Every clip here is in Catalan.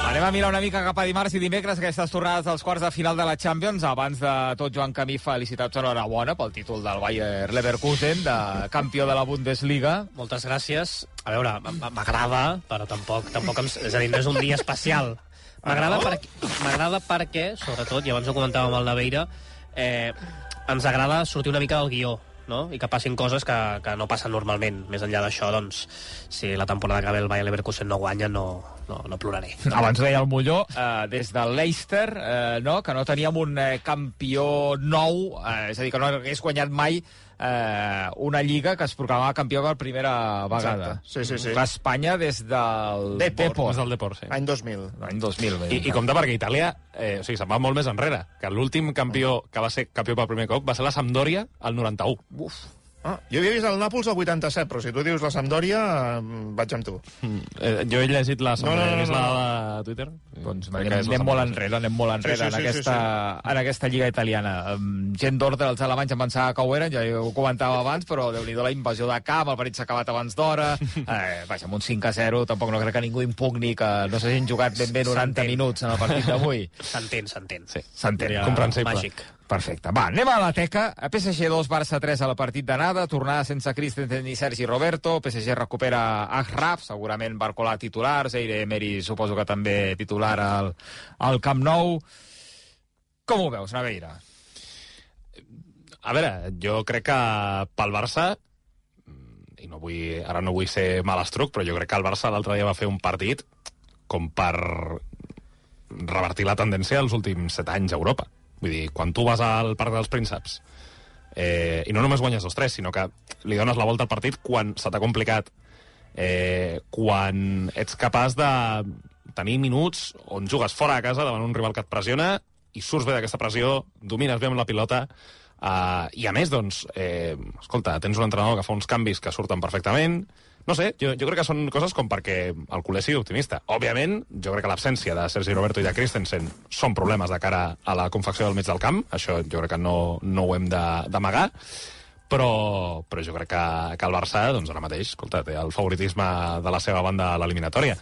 Anem a mirar una mica cap a dimarts i dimecres, aquestes tornades dels quarts de final de la Champions. Abans de tot, Joan Camí, felicitats, enhorabona pel títol del Bayer Leverkusen, de campió de la Bundesliga. Moltes gràcies. A veure, m'agrada, però tampoc és a dir, no és un dia especial. M'agrada perquè, sobretot, i abans ho comentàvem amb el Naveira, ens agrada sortir una mica del guió, no? I que passin coses que no passen normalment. Més enllà d'això, doncs, si la temporada que ve el Bayer Leverkusen no guanya, no ploraré. Abans ho deia el Molló, des del Leicester, que no teníem un campió nou, és a dir, que no hagués guanyat mai una lliga que es proclamava campió per primera vegada. Sí. L'Espanya des del Depor. Des del Depor, sí. Any 2000. L'any 2000. I compte perquè Itàlia se'n va molt més enrere, que l'últim campió que va ser campió per primer cop va ser la Sampdoria al 91. Uf. Jo havia vist el Nàpols al 87, però si tu dius la Sampdoria, vaig amb tu. Jo he llegit la Sampdoria, he vist la de Twitter. Doncs anem molt enrere en aquesta lliga italiana. Gent d'ordre, els alemanys em pensava que ho eren, ja ho comentava abans, però Déu-n'hi-do la invasió de camp, el partit s'ha acabat abans d'hora. Vaja, amb un 5-0, tampoc no crec que ningú impugni que no s'hagin jugat ben bé 90 minuts en el partit d'avui. S'entén. Sí, s'entén. comprensible. Màgic. Perfecte. Va, anem a la teca. PSG 2, Barça 3 al partit d'anada. Tornada sense Christensen ni Sergi Roberto. PSG recupera Achraf, segurament Barcola titular. Zaire Emery suposo que també titular al Camp Nou. Com ho veus, Naveira? A veure, jo crec que pel Barça, i ara no vull ser malastruc, però jo crec que el Barça l'altre dia va fer un partit com per revertir la tendència dels últims 7 anys a Europa. Vull dir, quan tu vas al Parc dels Prínceps i no només guanyes 2-3, sinó que li dones la volta al partit quan se t'ha complicat, quan ets capaç de tenir minuts on jugues fora de casa davant un rival que et pressiona i surts bé d'aquesta pressió, domines bé amb la pilota, i a més, doncs, escolta, tens un entrenador que fa uns canvis que surten perfectament. No sé, jo crec que són coses com perquè el culer sigui optimista. Òbviament, jo crec que l'absència de Sergi Roberto i de Christensen són problemes de cara a la confecció del mig del camp. Això jo crec que no ho hem d'amagar. Però jo crec que el Barça, doncs ara mateix, escolta, té el favoritisme de la seva banda a l'eliminatòria.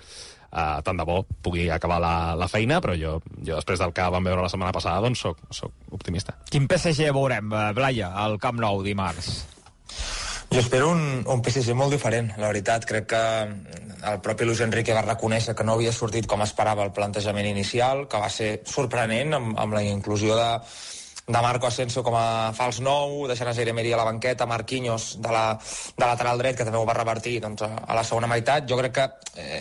Tant de bo pugui acabar la feina, però jo després del que vam veure la setmana passada, doncs soc optimista. Quin PSG veurem, Blaya, al Camp Nou dimarts? Jo espero un PSG molt diferent, la veritat. Crec que el propi Luis Enrique va reconèixer que no havia sortit com esperava el plantejament inicial, que va ser sorprenent amb la inclusió de Marco Asensio com a fals nou, deixant a Zaire Emery a la banqueta, Marquinhos de lateral dret, que també ho va revertir doncs, a la segona meitat. Jo crec que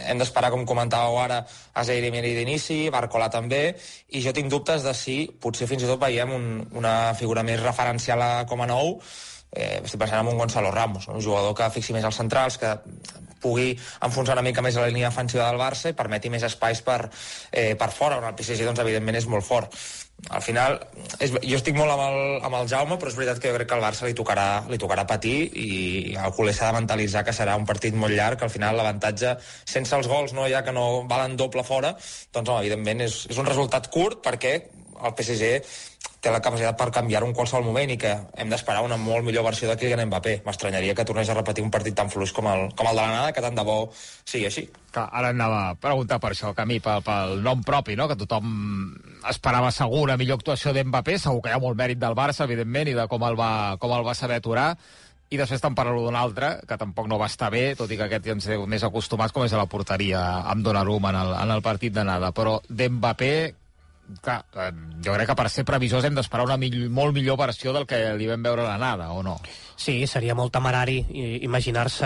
hem d'esperar, com comentàveu ara, a Zaire Emery d'inici, Barcola també, i jo tinc dubtes de si potser fins i tot veiem una figura més referencial com a nou. Estic pensant en un Gonzalo Ramos, un jugador que fixi més als centrals, que pugui enfonsar una mica més la línia defensiva del Barça i permeti més espais per fora, on el PSG doncs, evidentment és molt fort. Al final, jo estic molt amb el Jaume, però és veritat que jo crec que al Barça li tocarà patir, i el culer s'ha de mentalitzar que serà un partit molt llarg, que al final l'avantatge sense els gols, no, ja que no valen doble fora, doncs home, evidentment és un resultat curt, perquè el PSG té la capacitat per canviar-ho en qualsevol moment i que hem d'esperar una molt millor versió de Kylian Mbappé. M'estranyaria que tornés a repetir un partit tan fluix com el de l'anada, que tant de bo sigui així. Ara anava a preguntar per això, Camí, pel nom propi, no? Que tothom esperava segur una millor actuació d'Mbappé, segur que hi ha molt mèrit del Barça, evidentment, i de com el va saber aturar, i després te'n parlo d'un altre, que tampoc no va estar bé, tot i que aquest ja ens heu més acostumats, com és a la porteria amb Donnarumma en el partit d'anada. Però d'Mbappé, clar, jo crec que per ser previsors hem d'esperar una molt millor versió del que li vam veure a l'anada, o no? Sí, seria molt temerari imaginar-se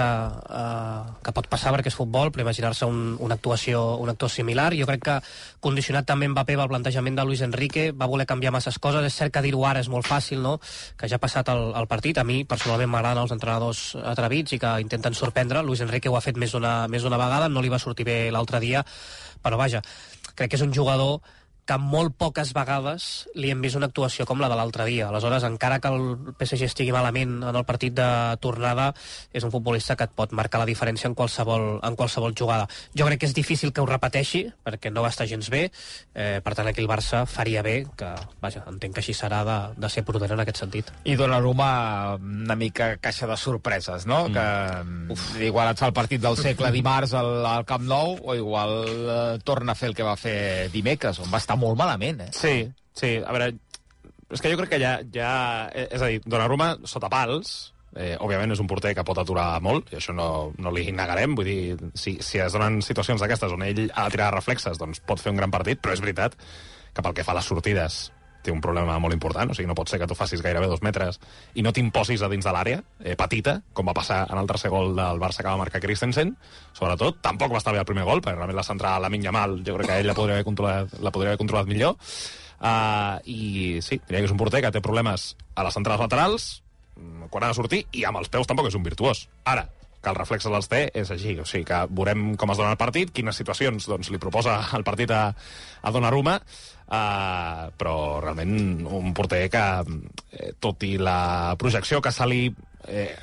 que pot passar perquè és futbol, però imaginar-se una actuació similar. Jo crec que condicionat també Mbappé pel plantejament de Luis Enrique, va voler canviar masses coses. És cert que dir-ho ara és molt fàcil, no? Que ja ha passat el partit. A mi personalment m'agraden els entrenadors atrevits i que intenten sorprendre. Luis Enrique ho ha fet més d'una vegada, no li va sortir bé l'altre dia, però vaja, crec que és un jugador que molt poques vegades li hem vist una actuació com la de l'altre dia. Aleshores, encara que el PSG estigui malament en el partit de tornada, és un futbolista que et pot marcar la diferència en qualsevol jugada. Jo crec que és difícil que ho repeteixi, perquè no va estar gens bé, per tant aquí el Barça faria bé, que vaja, entenc que així serà de ser prudent en aquest sentit. I Donnarumma una mica caixa de sorpreses, no? Que igual et fa el partit del segle dimarts al Camp Nou, o igual torna a fer el que va fer dimecres, on va estar molt malament, Sí, a veure, és que jo crec que ja és a dir, Donnarumma sota pals, òbviament és un porter que pot aturar molt, i això no li negarem, vull dir, si es donen situacions d'aquestes on ell ha de tirar reflexes, doncs pot fer un gran partit, però és veritat que pel que fa a les sortides té un problema molt important, o sigui, no pot ser que tu facis gairebé 2 metres i no t'imposis a dins de l'àrea, petita, com va passar en el tercer gol del Barça que va marcar Christensen, sobretot. Tampoc va estar bé el primer gol, perquè realment la centrada a Lamine Yamal, jo crec que ell la podria haver controlat millor. I sí, diria que és un porter que té problemes a les centrades laterals, quan ha de sortir, i amb els peus tampoc és un virtuós. Ara, que els reflexes els té, és així. O sigui, que veurem com es dona el partit, quines situacions doncs, li proposa el partit a Donnarumma, però realment un porter que, tot i la projecció que se li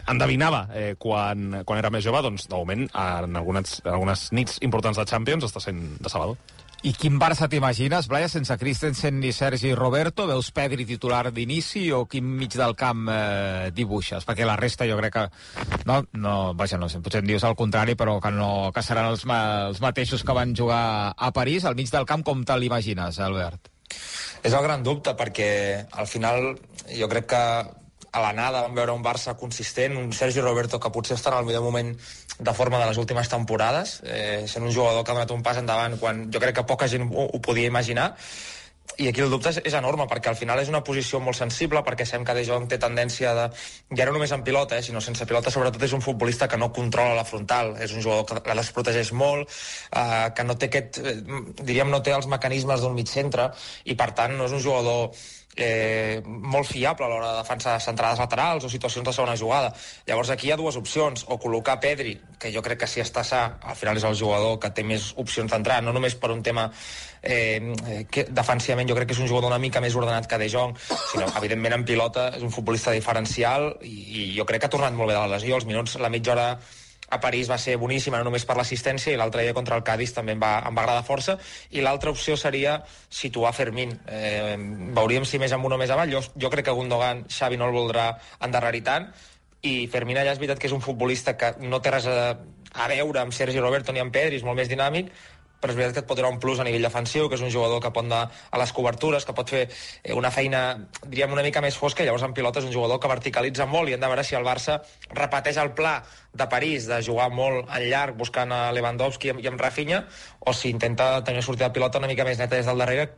endevinava quan era més jove, doncs, de moment, en algunes nits importants de Champions està sent decebedor. I quin Barça t'imagines, Blaya, sense Christensen ni Sergi Roberto? Veus Pedri titular d'inici o quin mig del camp dibuixes? Perquè la resta jo crec que... Vaja, no sé, potser em dius el contrari, però que seran els mateixos que van jugar a París. Al mig del camp, com te l'imagines, Albert? És el gran dubte, perquè al final jo crec que a l'anada vam veure un Barça consistent, un Sergi Roberto que potser està en el millor moment de forma de les últimes temporades, sent un jugador que ha donat un pas endavant quan jo crec que poca gent ho podia imaginar, i aquí el dubte és enorme, perquè al final és una posició molt sensible, perquè sabem que De Jong té tendència de... ja no només en pilota, sinó sense pilota, sobretot és un futbolista que no controla la frontal, és un jugador que la desprotegeix molt, que no té no té els mecanismes d'un mig centre, i per tant no és un jugador molt fiable a l'hora de defensar centrades laterals o situacions de segona jugada. Llavors aquí hi ha dues opcions, o col·locar Pedri, que jo crec que si està sa, al final és el jugador que té més opcions d'entrar, no només per un tema que defensivament jo crec que és un jugador una mica més ordenat que De Jong, sinó evidentment en pilota és un futbolista diferencial, i jo crec que ha tornat molt bé de la lesió. Els minuts, la mitja hora a París va ser boníssima, no només per l'assistència, i l'altre dia contra el Cádiz també em va agradar força, i l'altra opció seria situar Fermín. Veuríem si més amunt o més avall. Jo crec que Gundogan, Xavi no el voldrà endarrerir tant, i Fermín allà és veritat que és un futbolista que no té res a veure amb Sergi Roberto ni amb Pedri, és molt més dinàmic, però és veritat que et pot donar un plus a nivell defensiu, que és un jugador que pot anar a les cobertures, que pot fer una feina, diríem, una mica més fosca, i llavors en pilota és un jugador que verticalitza molt, i hem de veure si el Barça repeteix el pla de París, de jugar molt en llarg, buscant a Lewandowski i amb Rafinha, o si intenta tenir una sortida de pilota una mica més neta des del darrere,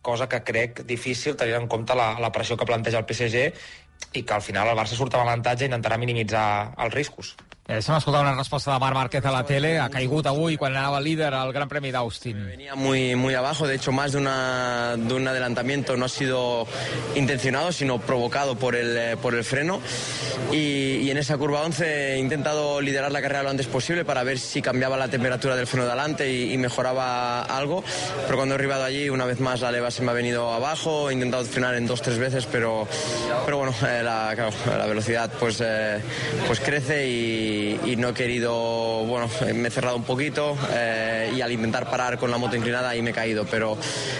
cosa que crec difícil tenint en compte la pressió que planteja el PSG, i que al final el Barça surt amb avantatge i intentarà minimitzar els riscos. Deixa'm escoltar una respuesta de Marc Márquez a la tele. Ha caigut avui quan anava líder al Gran Premi d'Austin. Venía muy abajo, de hecho más de un adelantamiento no ha sido intencionado, sino provocado por el freno, y en esa curva 11 he intentado liderar la carrera lo antes posible para ver si cambiaba la temperatura del freno de adelante y mejoraba algo, pero cuando he arribado allí una vez más la leva se me ha venido abajo, he intentado frenar en 2-3 veces, pero bueno, la velocidad pues crece y no he querido, bueno, me he cerrado un poquito y al intentar parar con la moto inclinada ahí me he caído, pero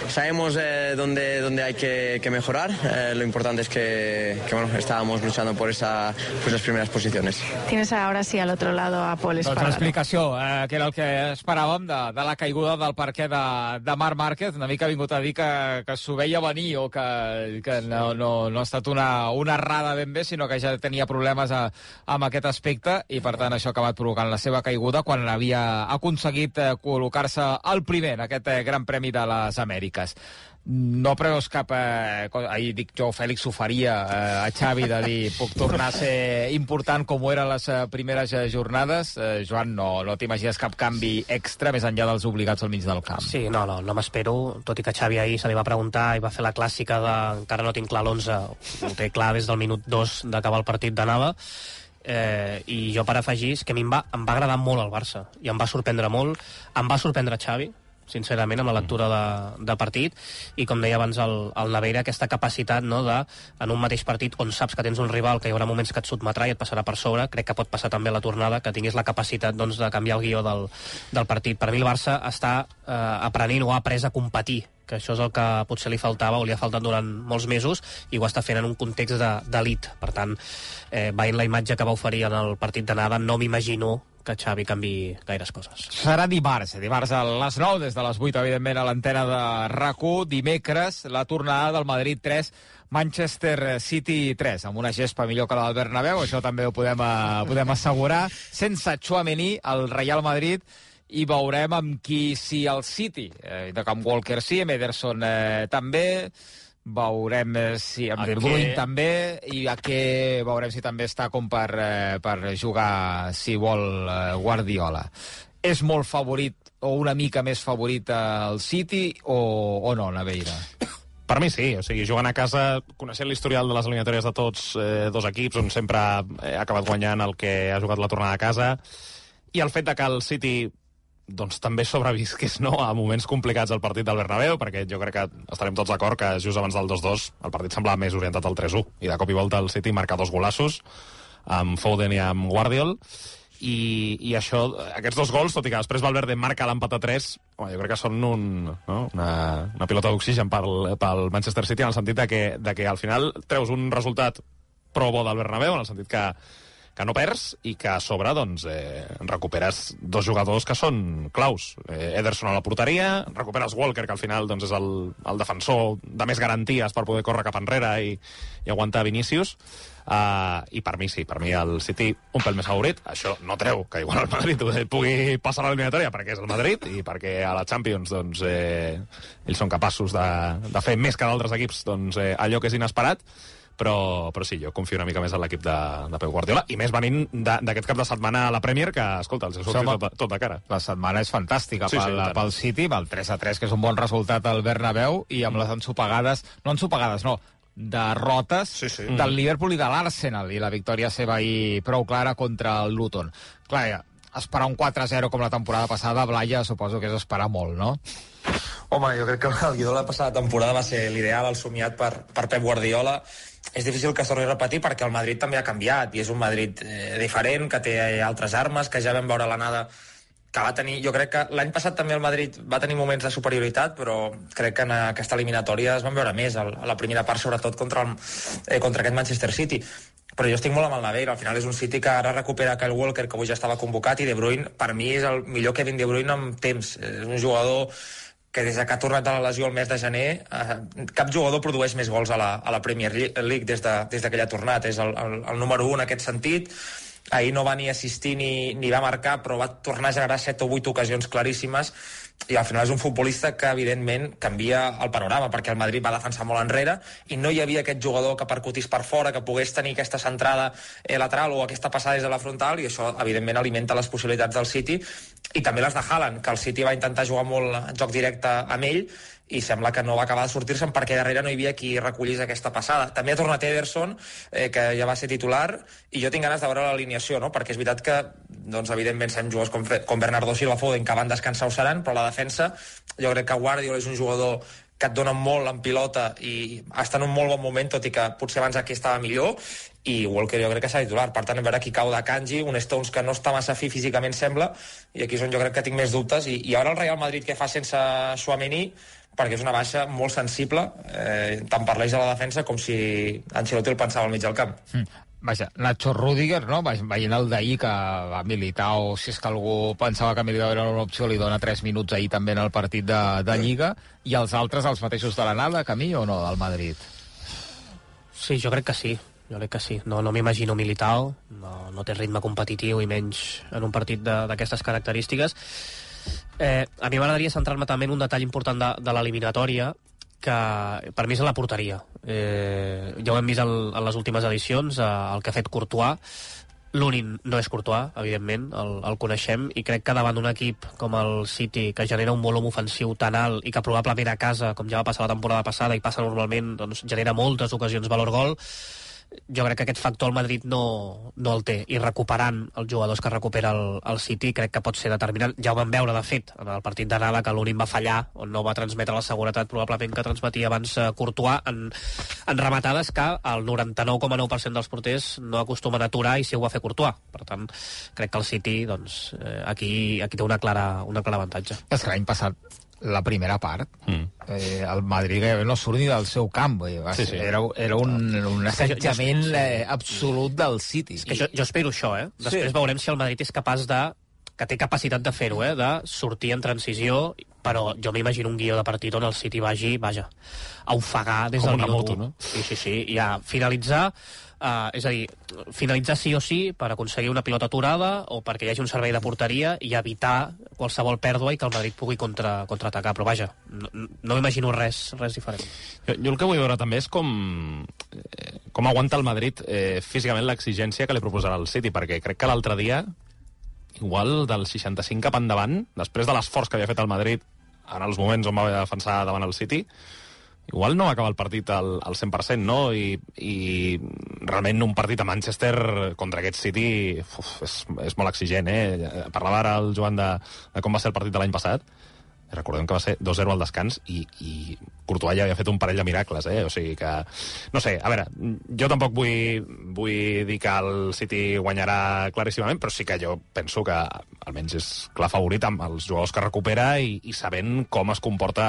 sabemos dónde hay que mejorar. Lo importante es que bueno, estábamos luchando por las primeras posiciones. Tienes ahora sí al otro lado a Pol Espargaro. Doncs l'explicació, que era el que esperàvem de la caiguda del parquet de Marc Márquez. Una mica ha vingut a dir que s'ho veia venir, o que no ha estat una errada ben bé, sinó que ja tenia problemes amb aquest aspecte, i per tant això ha acabat provocant la seva caiguda quan havia aconseguit col·locar-se al primer en aquest Gran Premi de les Amèriques. No preveus cap... ahir dic jo, Fèlix ho faria a Xavi, de dir, puc tornar a ser important com ho eren les primeres jornades. Joan, no t'imagines cap canvi extra més enllà dels obligats al mig del camp? Sí, no m'espero, tot i que Xavi ahir se li va preguntar i va fer la clàssica de encara no tinc clar l'11, ho té clar des del minut 2 d'acabar el partit d'anada. I jo per afegir, és que a mi em va agradar molt el Barça, i em va sorprendre molt, em va sorprendre Xavi, sincerament, amb la lectura de partit, i com deia abans el Naveira, aquesta capacitat, no, de, en un mateix partit on saps que tens un rival que hi haurà moments que et sotmetrà i et passarà per sobre, crec que pot passar també a la tornada, que tinguis la capacitat, doncs, de canviar el guió del partit. Per mi el Barça està aprenent o ha après a competir, que això és el que potser li faltava o li ha faltat durant molts mesos, i ho està fent en un context d'elit. Per tant, veient la imatge que va oferir en el partit d'anada, no m'imagino que Xavi canvi gaires coses. Serà dimarts a les 9, des de les 8, evidentment, a l'antena de RAC1. Dimecres, la tornada del Madrid 3, Manchester City 3, amb una gespa millor que la del Bernabéu, això també ho podem assegurar. Sense Tchouaméni, el Real Madrid, i veurem amb qui, si el City, de Camp Walker sí, amb Ederson també, veurem si amb De Bruyne també, i a què veurem si també està com per jugar, si vol, Guardiola. És molt favorit, o una mica més favorit el City, o no, Naveira? Per mi sí, o sigui, jugant a casa, coneixent l'historial de les eliminatòries de tots dos equips, on sempre ha acabat guanyant el que ha jugat la tornada a casa, i el fet de que el City doncs també sobrevisqués, no?, a moments complicats al partit del Bernabéu, perquè jo crec que estarem tots d'acord que just abans del 2-2 el partit semblava més orientat al 3-1, i de cop i volta el City marca 2 golassos amb Foden i amb Guardiol, i això, aquests 2 gols, tot i que després Valverde marca l'empat a 3, jo crec que són una pilota d'oxigen pel Manchester City, en el sentit de que al final treus un resultat pro bo del Bernabéu, en el sentit que no perds, i que a sobre doncs, recuperes 2 jugadors que són claus. Ederson a la porteria, recuperes Walker, que al final doncs, és el defensor de més garanties per poder córrer cap enrere i aguantar Vinícius. I per mi sí, per mi el City un pèl més favorit. Això no treu que igual el Madrid pugui passar a l'eliminatòria, perquè és el Madrid, i perquè a la Champions doncs, ells són capaços de fer més que d'altres equips doncs, allò que és inesperat. Però sí, jo confio una mica més en l'equip de Pep Guardiola, i més venint d'aquest cap de setmana a la Premier, que, escolta, els ha sortit tot de cara. La setmana és fantàstica pel City, amb el 3-3, que és un bon resultat al Bernabéu, i amb les derrotes del Liverpool i de l'Arsenal, i la victòria seva ahir prou clara contra el Luton. Clar, esperar un 4-0 com la temporada passada, Blaya, suposo que és esperar molt, no? Home, jo crec que el guió de la passada temporada va ser l'ideal, el somiat per Pep Guardiola. És difícil que es torni a repetir perquè el Madrid també ha canviat, i és un Madrid diferent, que té altres armes, que ja vam veure l'anada que va tenir. Jo crec que l'any passat també el Madrid va tenir moments de superioritat, però crec que en aquesta eliminatòria es van veure més, a la primera part sobretot contra aquest Manchester City. Però jo estic molt amb el Naveira, al final és un City que ara recupera Kyle Walker, que avui ja estava convocat, i De Bruyne, per mi és el millor Kevin De Bruyne amb temps. És un jugador que des que ha tornat de la lesió el mes de gener, cap jugador produeix més gols a la Premier League des que ell ha tornat. És el número 1 en aquest sentit. Ahir no va ni assistir ni va marcar, però va tornar a generar 7 o 8 ocasions claríssimes, i al final és un futbolista que evidentment canvia el panorama, perquè el Madrid va defensar molt enrere i no hi havia aquest jugador que percutís per fora, que pogués tenir aquesta centrada lateral o aquesta passada des de la frontal, i això evidentment alimenta les possibilitats del City, i també les de Haaland, que el City va intentar jugar molt joc directe amb ell i sembla que no va acabar de sortir-se'n perquè darrere no hi havia qui recollís aquesta passada. També ha tornat Ederson, que ja va ser titular, i jo tinc ganes de veure l'alineació, no? Perquè és veritat que, doncs, evidentment, són jugadors com Bernardo Silva, Foden, que van descansar ho seran, però la defensa, jo crec que Guardiola és un jugador que et dona molt en pilota i està en un molt bon moment, tot i que potser abans aquí estava millor, i Walker jo crec que serà titular. Per tant, a veure qui cau de Kanji, un Stones que no està massa fi físicament, sembla, i aquí és on jo crec que tinc més dubtes. I ara el Real Madrid què fa sense Tchouaméni, perquè és una baixa molt sensible, tant per l'eix de la defensa com si Ancelotti el pensava al mig del camp. Vaja, Nacho Rüdiger, no? Veient el d'ahir, que va Militao, si és que algú pensava que Militao era una opció, li dona 3 minuts ahir també en el partit de Lliga, i els altres, els mateixos de l'anada, Camí, o no, del Madrid? Sí, jo crec que sí. No m'imagino Militao, no té ritme competitiu i menys en un partit d'aquestes característiques. A mi m'agradaria centrar-me també en un detall important de l'eliminatòria, que per mi és la porteria. Ja ho hem vist en les últimes edicions, el que ha fet Courtois. L'únic no és Courtois, evidentment, el coneixem, i crec que davant d'un equip com el City, que genera un volum ofensiu tan alt i que probablement a casa, com ja va passar la temporada passada i passa normalment, doncs genera moltes ocasions valor gol, jo crec que aquest factor el Madrid no el té, i recuperant els jugadors que recupera el City crec que pot ser determinant. Ja ho vam veure, de fet, en el partit d'anada, que l'únic va fallar, on no va transmetre la seguretat probablement que transmetia abans Courtois, en rematades que el 99,9% dels porters no acostumen a aturar, i si ho va fer Courtois. Per tant, crec que el City doncs, aquí té un clar avantatge. És que l'any passat la primera part, el Madrid no surt ni del seu camp, era un assetjament absolut del City. És que jo espero això, després veurem si el Madrid és capaç que té capacitat de fer-ho, de sortir en transició, però jo m'imagino un guió de partit on el City vagi, a ofegar des del minut 1. Sí, i a finalitzar, és a dir, finalitzar sí o sí per aconseguir una pilota aturada o perquè hi hagi un servei de porteria i evitar qualsevol pèrdua i que el Madrid pugui contraatacar, però vaja, no m'imagino res diferent. Jo el que vull veure també és com aguanta el Madrid físicament l'exigència que li proposarà el City, perquè crec que l'altre dia igual del 65 cap endavant, després de l'esforç que havia fet el Madrid en els moments on va defensar davant el City, igual no va acabar el partit al 100%, no? I realment un partit a Manchester contra aquest City és molt exigent, Parlava ara el Joan de com va ser el partit de l'any passat. Recordem que va ser 2-0 al descans i Courtois ja havia fet un parell de miracles, o sigui que... No sé, a veure, jo tampoc vull dir que el City guanyarà claríssimament, però sí que jo penso que almenys és clar favorit amb els jugadors que recupera i sabent com es comporta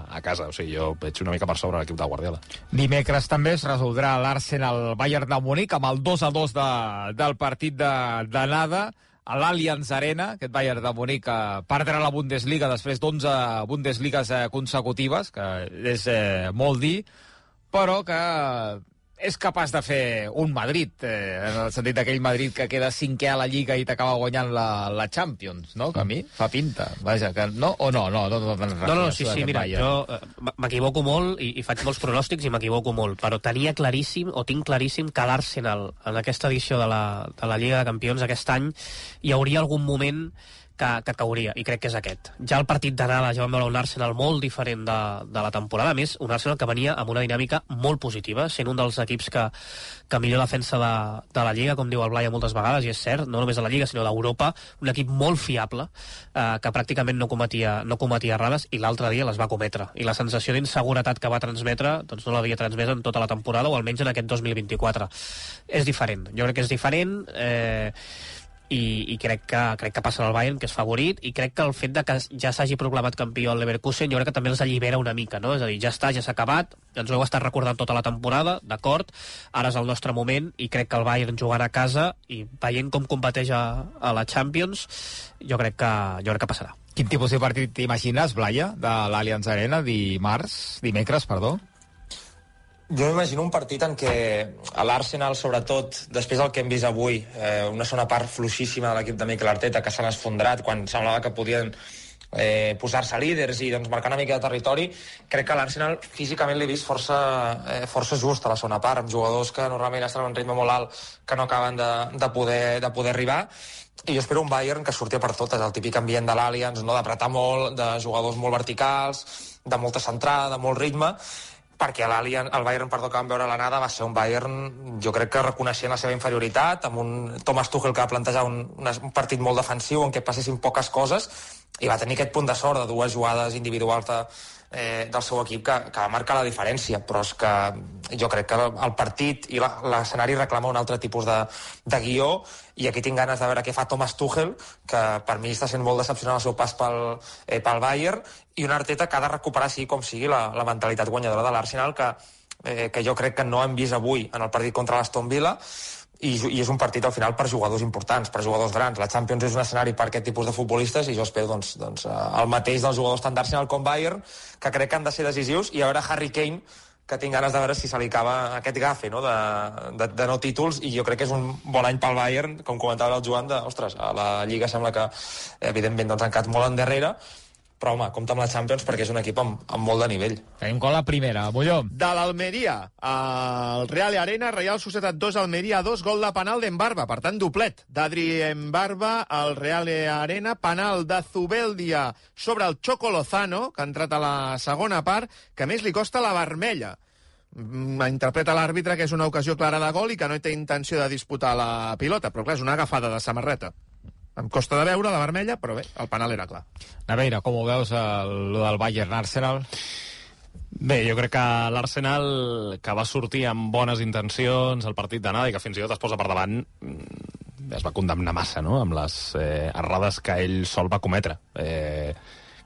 a casa. O sigui, jo veig una mica per sobre l'equip de Guardiola. Dimecres també es resoldrà l'Arsenal-Bayern de Munic amb el 2-2 del partit d'anada a l'Allianz Arena. Aquest Bayern de Munic perdrà la Bundesliga després d'11 Bundesligues consecutives, que és molt dir, però que és capaç de fer un Madrid, en el sentit d'aquell Madrid que queda cinquè a la Lliga i t'acaba guanyant la Champions, no? Que a mi fa pinta. Vaja, que no? O no? No, sí, mira, jo m'equivoco molt i faig molts pronòstics i m'equivoco molt, però tinc claríssim que l'Arsenal en aquesta edició de la Lliga de Campions aquest any hi hauria algun moment que cauria, i crec que és aquest. Ja el partit d'anada ja vam veure un Arsenal molt diferent de la temporada, a més, un Arsenal que venia amb una dinàmica molt positiva, sent un dels equips que millor defensa de la Lliga, com diu el Blai moltes vegades, i és cert, no només de la Lliga, sinó d'Europa, un equip molt fiable, que pràcticament no cometia errades, i l'altre dia les va cometre. I la sensació d'inseguretat que va transmetre, doncs no l'havia transmès en tota la temporada, o almenys en aquest 2024. És diferent. Jo crec que és diferent, i crec que passa al Bayern, que és favorit, i crec que el fet de que ja s'hagi proclamat campió el Leverkusen jo crec que també els allibera una mica, no? És a dir, ja s'ha acabat, ens ho heu estat recordant tota la temporada, d'acord, ara és el nostre moment, i crec que el Bayern jugant a casa i veient com competeix a la Champions, jo crec que passarà. Quin tipus de partit t'imagines, Blaya, de l'Allianz Arena dimecres? Jo m'imagino un partit en què l'Arsenal, sobretot, després del que hem vist avui, una segona part fluixíssima de l'equip de Mikel Arteta, que s'han esfondrat quan semblava que podien posar-se líders i doncs, marcar una mica de territori, crec que l'Arsenal físicament l'he vist força just a la segona part, amb jugadors que normalment estan a un ritme molt alt que no acaben de poder arribar, i jo espero un Bayern que surti per totes, el típic ambient de l'Allianz, no? D'apretar molt, de jugadors molt verticals, de molta centrada, de molt ritme, perquè el Bayern, que vam veure a l'anada, va ser un Bayern, jo crec que reconeixent la seva inferioritat, amb un Thomas Tuchel que va plantejar un partit molt defensiu en què passessin poques coses, i va tenir aquest punt de sort de dues jugades individuals del seu equip que va marcar la diferència, però és que jo crec que el partit i l'escenari reclama un altre tipus de guió, i aquí tinc ganes de veure què fa Thomas Tuchel, que per mi està sent molt decepcionant el seu pas pel Bayern, i un Arteta que ha de recuperar sigui com sigui la mentalitat guanyadora de l'Arsenal, que jo crec que no hem vist avui en el partit contra l'Aston Villa, i és un partit al final per jugadors importants, per jugadors grans. La Champions és un escenari per aquest tipus de futbolistes, i jo espero doncs, el mateix dels jugadors tant d'Arsenal com Bayern, que crec que han de ser decisius, i a veure Harry Kane, que tinc ganes de veure si se li acaba aquest gafe, no? de no títols, i jo crec que és un bon any pel Bayern, com comentava el Joan, a la Lliga sembla que evidentment doncs, han quedat molt endarrere, però home, compta amb la Champions perquè és un equip amb molt de nivell. Tenim com la primera, Molló. De l'Almeria al Real Arena, Real Societat 2, Almeria 2, gol de penal d'Embarba, per tant doblet d'Adri Embarba al Real Arena, penal de Zubeldia sobre el Choco Lozano, que ha entrat a la segona part, que més li costa la vermella. Interpreta l'àrbitre que és una ocasió clara de gol i que no té intenció de disputar la pilota, però clar, és una agafada de samarreta. Em costa de veure la vermella, però bé, el penal era clar. Naveira, com ho veus, lo del Bayern-Arsenal? Bé, jo crec que l'Arsenal, que va sortir amb bones intencions al partit d'anada i que fins i tot es posa per davant, es va condemnar massa, no?, amb les errades que ell sol va cometre.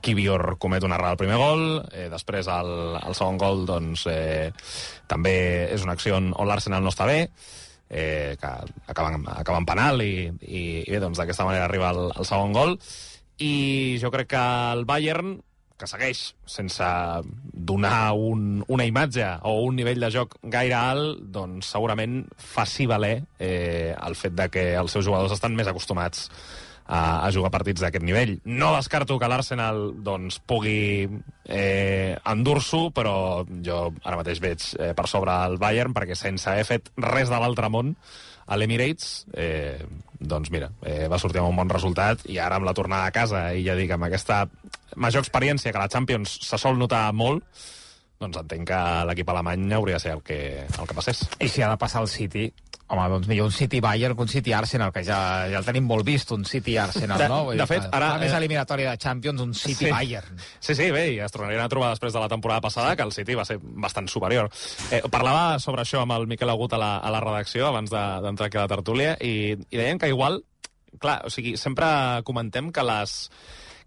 Kivior comet una errada al primer gol, després el segon gol doncs, també és una acció on l'Arsenal no està bé, que acaba en penal i bé, doncs d'aquesta manera arriba el segon gol, i jo crec que el Bayern, que segueix sense donar una imatge o un nivell de joc gaire alt, doncs segurament faci valer el fet de que els seus jugadors estan més acostumats a jugar partits d'aquest nivell. No descarto que l'Arsenal doncs, pugui endur-s'ho, però jo ara mateix veig per sobre el Bayern, perquè sense haver fet res de l'altre món a l'Emirates, doncs mira, va sortir amb un bon resultat, i ara amb la tornada a casa, i ja dic, amb aquesta major experiència que la Champions se sol notar molt, doncs entenc que l'equip alemany hauria de ser el que passés. I si ha de passar el City, home, doncs millor un City-Bayern que un City-Arsenal, que ja el tenim molt vist, un City-Arsenal, no? De fet, ara... La més eliminatòria de Champions, un City-Bayern. Sí, bé, i es tornarien a trobar després de la temporada passada, que el City va ser bastant superior. Parlava sobre això amb el Miquel Agut a la redacció, abans d'entrar aquí a la tertúlia, i deien que igual, clar, o sigui, sempre comentem que les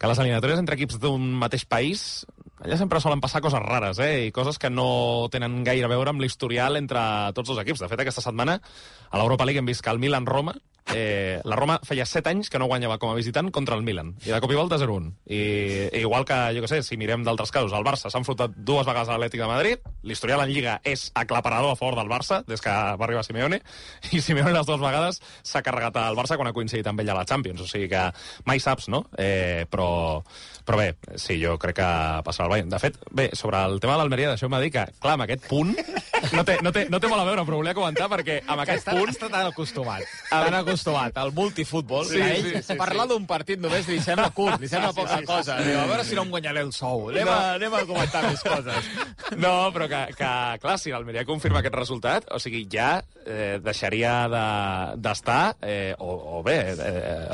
eliminatòries entre equips d'un mateix país, allà sempre solen passar coses rares, i coses que no tenen gaire a veure amb l'historial entre tots els equips. De fet, aquesta setmana a l'Europa League hem vist que el Milan-Roma, la Roma feia 7 anys que no guanyava com a visitant contra el Milan, i de cop i volta 0-1. I igual que, jo què sé, si mirem d'altres casos, el Barça s'ha enfrontat 2 vegades a l'Atlètic de Madrid, l'historial en Lliga és aclaparador a favor del Barça, des que va arribar Simeone, i Simeone les 2 vegades s'ha carregat al Barça quan ha coincidit amb ell a la Champions, o sigui que mai saps, no? Però bé, sí, jo crec que passarà el Bayern. De fet, bé, sobre el tema de l'Almeria, deixeu-me dir que, clar, amb aquest punt no té molt a veure, però volia comentar perquè amb aquest punt... Està tan acostumat al multifútbol, sí, que ell parlar d'un partit només li sembla curt, li sembla poca cosa. Diu, a veure si no em guanyaré el sou. Anem a comentar més coses. No, però que clar, si l'Almeria confirma aquest resultat, o sigui, ja deixaria d'estar, o bé,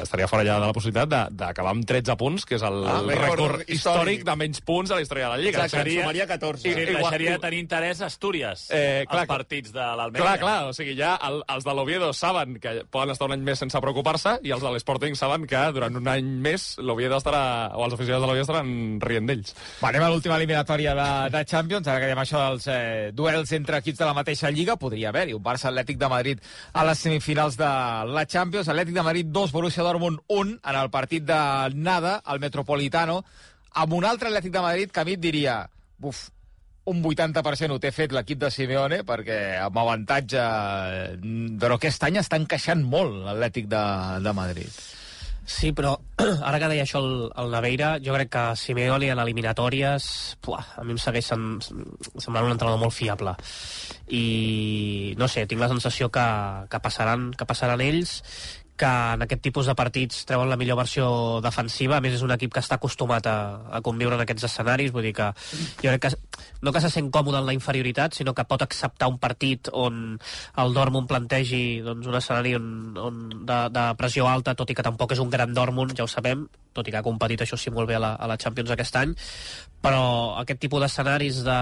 estaria fora ja de la possibilitat d'acabar amb 13 punts, que és el rècord històric de menys punts a la història de la Lliga. Exacte, sumaria 14. Sí, deixaria de tenir interès a Astúries, els partits de l'Almeria. Clar, o sigui, ja els de l'Oviedo saben que poden estar un any més sense preocupar-se, i els de l'Sporting saben que durant un any més l'Oviedo estarà, o els aficionats de l'Oviedo estaran rient d'ells. Anem a l'última eliminatòria de Champions, ara que diem això dels duels entre equips de la mateixa Lliga, podria haver-hi un Barça-Atlètic de Madrid a les semifinals de la Champions. Atlètic de Madrid 2, Borussia Dortmund 1, en el partit de Nada, al Metropolitano, amb un altre Atlètic de Madrid que a mi et diria, un 80% ho té fet l'equip de Simeone, perquè amb avantatge, però aquest any està encaixant molt l'Atlètic de Madrid. Sí, però ara que deia això el Naveira, jo crec que Simeone en eliminatòries a mi em segueix semblant un entrenador molt fiable, i no sé, tinc la sensació que passaran ells, que en aquest tipus de partits treuen la millor versió defensiva. A més, és un equip que està acostumat a conviure en aquests escenaris, vull dir que jo crec que no que se sent còmode en la inferioritat, sinó que pot acceptar un partit on el Dortmund plantegi doncs, un escenari de pressió alta, tot i que tampoc és un gran Dortmund, ja ho sabem, tot i que ha competit, això sí, molt bé a la Champions aquest any, però aquest tipus d'escenaris de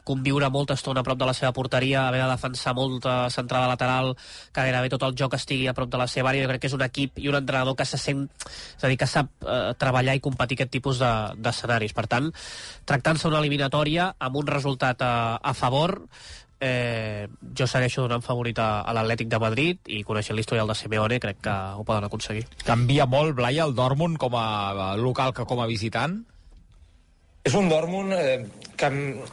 conviure molta estona a prop de la seva porteria, haver de defensar molta centrada lateral, que gairebé tot el joc estigui a prop de la seva àrea, jo crec que és un equip i un entrenador que se sent, és a dir, que sap treballar i competir aquest tipus d'escenaris. Per tant, tractant-se una eliminatòria amb un resultat a favor, jo segueixo donant favorit a l'Atlètic de Madrid, i coneixent l'historial de Simeone crec que ho poden aconseguir. Canvia molt, Blai, el Dortmund com a local que com a visitant? És un Dortmund que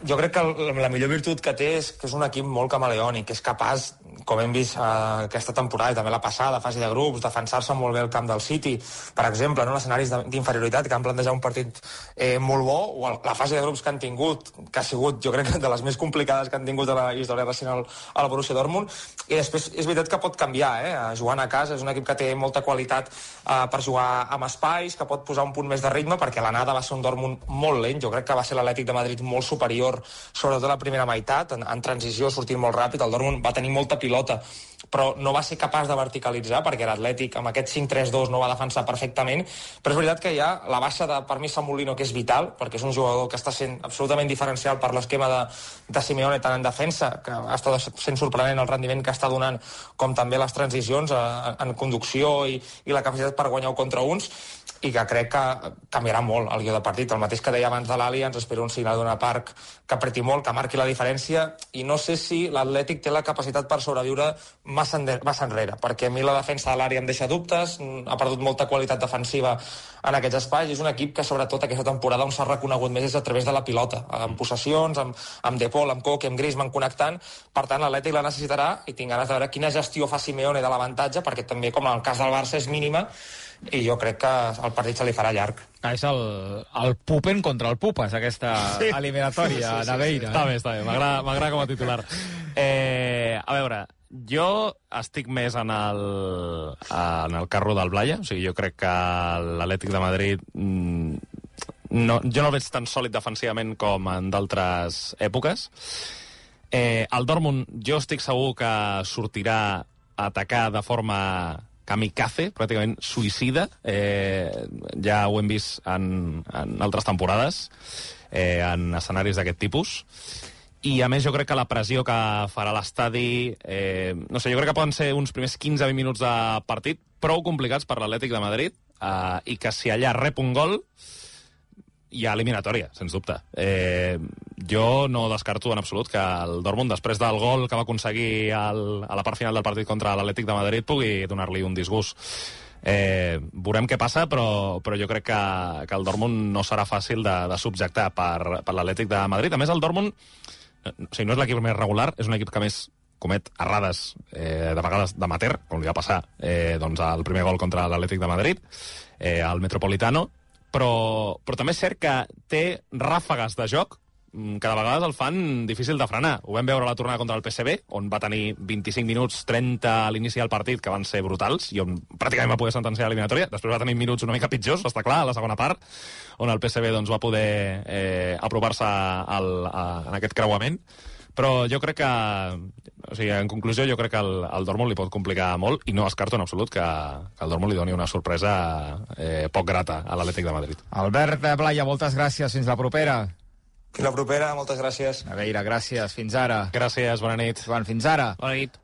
jo crec que la millor virtut que té és que és un equip molt camaleònic, que és capaç, com hem vist aquesta temporada i també la passada, fase de grups, defensar-se molt bé el camp del City, per exemple, no? Escenaris d'inferioritat que han plantejat un partit molt bo, o la fase de grups que han tingut, que ha sigut, jo crec, de les més complicades que han tingut a la història recent al Borussia Dortmund, i després és veritat que pot canviar, jugant a casa, és un equip que té molta qualitat per jugar amb espais, que pot posar un punt més de ritme, perquè l'anada va ser un Dortmund molt lent, jo crec que va ser l'Atlètic de Madrid molt superior, sobretot a la primera meitat, en transició, sortint molt ràpid, el Dortmund va tenir molta pilota, però no va ser capaç de verticalitzar, perquè l'Atlètic amb aquest 5-3-2 no va defensar perfectament, però és veritat que hi ha la baixa de, per mi, Samulino, que és vital, perquè és un jugador que està sent absolutament diferencial per l'esquema de Simeone, tant en defensa, que ha estat sent sorprenent el rendiment que està donant, com també les transicions en conducció i la capacitat per guanyar contra uns, i que crec que canviarà molt el guió de partit. El mateix que deia abans de l'Ali, ens espera un signal d'una Park que apreti molt, que marqui la diferència, i no sé si l'Atlètic té la capacitat per sobreviure massa enrere, perquè a mi la defensa de l'àrea em deixa dubtes, ha perdut molta qualitat defensiva en aquests espais, i és un equip que sobretot aquesta temporada on s'ha reconegut més és a través de la pilota, amb possessions, amb De Paul, amb Koke, amb Griezmann connectant. Per tant, l'Atlètic la necessitarà, i tinc ganes de veure quina gestió fa Simeone de l'avantatge, perquè també, com en el cas del Barça, és mínima, i jo crec que el partit se li farà llarg. És el Pupen contra el Pupas, aquesta eliminatòria, Naveira. Està bé, m'agrada com a titular. A veure, jo estic més en el carro del Blaya, o sigui, jo crec que l'Atlètic de Madrid jo no el veig tan sòlid defensivament com en d'altres èpoques. El Dortmund jo estic segur que sortirà a atacar de forma kamikaze, pràcticament suïcida. Ja ho hem vist en altres temporades, en escenaris d'aquest tipus. I, a més, jo crec que la pressió que farà l'estadi... no sé, jo crec que poden ser uns primers 15-20 minuts de partit prou complicats per l'Atlètic de Madrid, i que si allà rep un gol hi ha eliminatòria, sens dubte. Jo no descarto en absolut que el Dortmund, després del gol que va aconseguir a la part final del partit contra l'Atlètic de Madrid, pugui donar-li un disgust. Veurem què passa, però jo crec que el Dortmund no serà fàcil de subjectar per l'Atlètic de Madrid. A més, el Dortmund, o sigui, no és l'equip més regular, és un equip que més comet errades, de vegades d'amateur, com li va passar al primer gol contra l'Atlètic de Madrid, al Metropolitano, però també és cert que té ràfegues de joc que de vegades el fan difícil de frenar. Ho vam veure a la tornada contra el PSV, on va tenir 25 minuts, 30 a l'inici del partit, que van ser brutals, i on pràcticament va poder sentenciar l'eliminatòria. Després va tenir minuts una mica pitjors, està clar, a la segona part, on el PSV va poder apropar-se en aquest creuament. Però jo crec que, o sigui, en conclusió, jo crec que el Dortmund li pot complicar molt, i no descarto en absolut que el Dortmund li doni una sorpresa poc grata a l'Atlètic de Madrid. Albert Blaya, moltes gràcies. Fins la propera. Fins la propera, moltes gràcies. Naveira, gràcies. Fins ara. Gràcies, bona nit. Joan, fins ara. Bona nit.